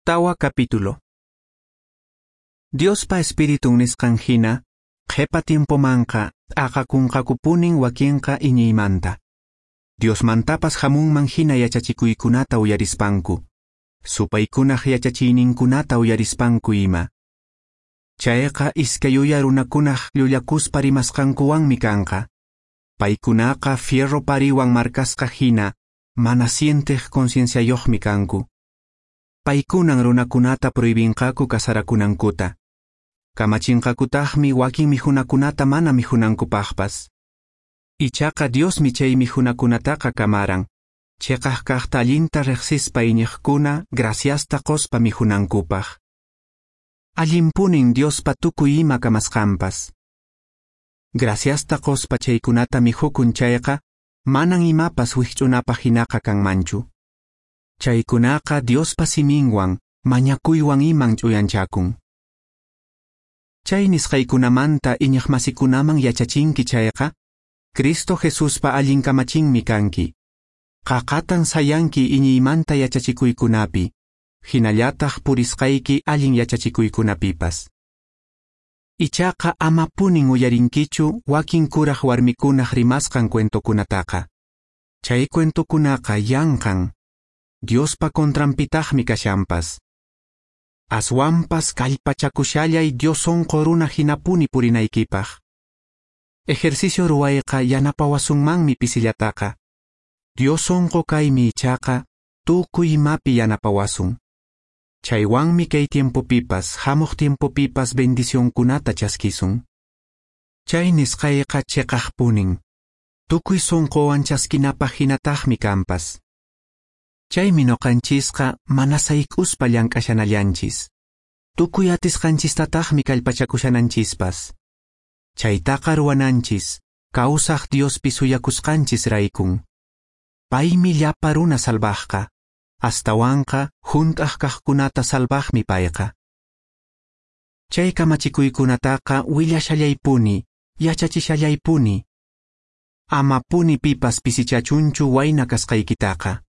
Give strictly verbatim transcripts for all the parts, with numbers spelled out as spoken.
Tawa capítulo. Diospa Espiritun nisqan hina, qhepa tiempomanqa t'aqakunqakupunin wakinqa iñiymanta. Diosmantapas hamunman hina yachachikuykunata uyarispanku, supaykunaq yachachiyninkunata uyarispanku ima. Chayqa iskay uya runakunaq llullakuspa rimasqankuwanmi kanqa. Paykunaqa fierro pariwan marcasqa hina, mana sienteq concienciayuqmi kanku. Paykunan runakunata prohibinqaku kasarakunankuta. Kamachinqakutaqmi wakin mihunakunata mana mihunankupaqpas. Ichaqa Diosmi chay mihunakunataqa kamaran, cheqaq kaqta allinta riqsispa iñiqkuna graciasta qospa mihunankupaq. Allinpunin Diospa tukuy ima kamasqanpas. Graciasta qospa chaykunata mihukun chayqa, manan imapas wikch'unapaq hinaqa kanmanchu. Chaykunaqa Diospa siminwan, mañakuywan iman ch'uyanchakun. Chay nisqaykunamanta iñiqmasikunaman yachachinki chayqa, Cristo Jesuspa allin kamachinmi kanki. Qaqatan sayanki iñiymanta yachachikuykunapi, hinallataq purisqayki allin yachachikuykunapipas. Ichaqa amapunin uyarinkichu wakin kuraq warmikunaq rimasqan cuentokunataqa. Chay cuentokunaqa yanqan, Diospa contranpitaqmi kashanpas. Aswanpas kallpachakushallay Dios sonqo runa hinapuni purinaykipaq. Ejercicio ruwayqa yanapawasunmanmi pisillataqa. Dios sonqo kaymi ichaqa tukuy imapi yanapawasun. Chaywanmi kay tiempopipas, hamuq tiempopipas bendicionkunata chaskisun. Chay nisqayqa cheqaqpunin. Tukuy sonqowan chaskinapaq hinataqmi kanpas. Chaymi noqanchisqa mana sayk'uspa llank'ashanallanchis. Tukuy atisqanchistataqmi kallpachakushananchispas. Chaytaqa ruwananchis, kawsaq Diospi suyakusqanchis raykun. Paymi llapa runa salvaqqa, astawanqa hunt'aq kaqkunata salvaqmi payqa. Chay kamachikuykunataqa willashallaypuni, yachachishallaypuni. Amapuni pipas pisichachunchu wayna kasqaykitaqa.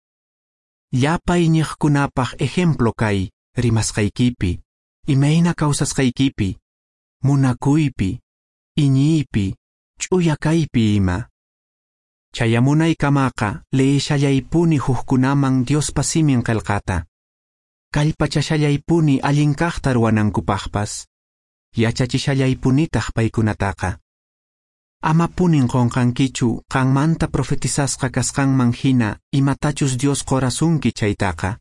Llapa iñiqkunapaq ejemplo kay rimasqaykipi, imayna kawsasqaykipi, munakuypi, iñiypi, ch'uya kaypi ima. Chayamunaykamaqa leeshallaypuni hukkunaman Diospa simin qillqata. Kallpachashallaypuni allin kaqta ruwanankupaqpas. Yachachishallaypunitaq paykunataqa. Amapunin qonqankichu qanmanta profetizasqa kasqanman hina imatachus Dios qorasunki chaytaqa.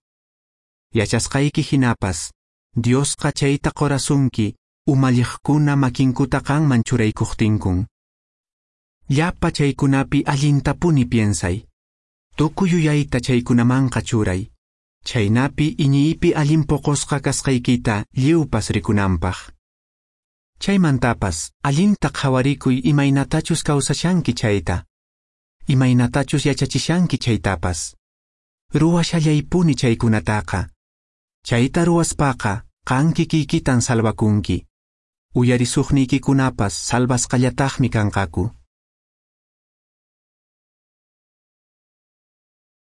Yachasqayki hinapas, Diosqa chayta qorasunki umalliqkuna makinkuta qanman churaykuqtinkun. Llapa chaykunapi allintapuni piensay. Tukuy yuyayta chaykunamanqa churay. Chaynapi iñiypi allin poqosqa kasqaykita lliwpas rikunanpaq. Chaymantapas allinta qhawarikuy imaynatachus kawsashanki chayta, imaynatachus yachachishanki chaytapas. Ruwashallaypuni chaykunataqa. Chayta ruwaspaqa qan kikiykitan salvakunki. Uyarisuqniykikunapas salvasqallataqmi kanqaku.